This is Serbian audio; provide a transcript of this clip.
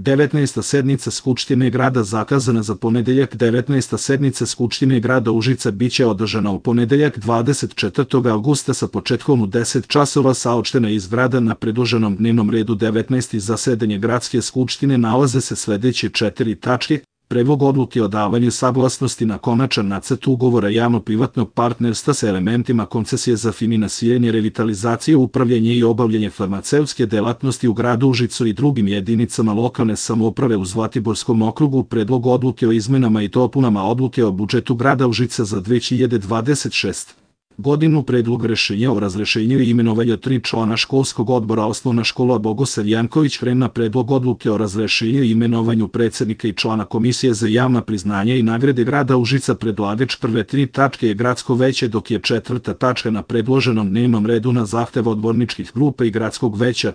19. sednica Skupštine grada zakazana za ponedeljak. 19. sednica Skupštine grada Užica biće održana u ponedeljak 24. avgusta sa početkom u 10 časova. Saopštena iz grada. Na predloženom dnevnom redu 19. zasedanje Gradske skupštine nalaze se sledeće 4 tačke: Predlog odluke o davanju saglasnosti na konačan nacrt ugovora javno-privatnog partnerstva sa elementima koncesije za finansiranje, revitalizaciju, upravljanje i obavljanje farmaceutske delatnosti u gradu Užicu i drugim jedinicama lokalne samouprave u Zlatiborskom okrugu. Predlog odluke o izmenama i dopunama odluke o budžetu grada Užica za 2026. godinu. Predlog rešenja o razrešenju i imenovanju 3 člana školskog odbora Osnovna škola Bogosav Janković Hrena. Predlog odluke o razrešenju i imenovanju predsednika i člana Komisije za javna priznanja i nagrade grada Užica. Predlagač prve 3 tačke je gradsko veće, dok je 4. tačka na predloženom dnevnom redu na zahtev odborničkih grupa i gradskog veća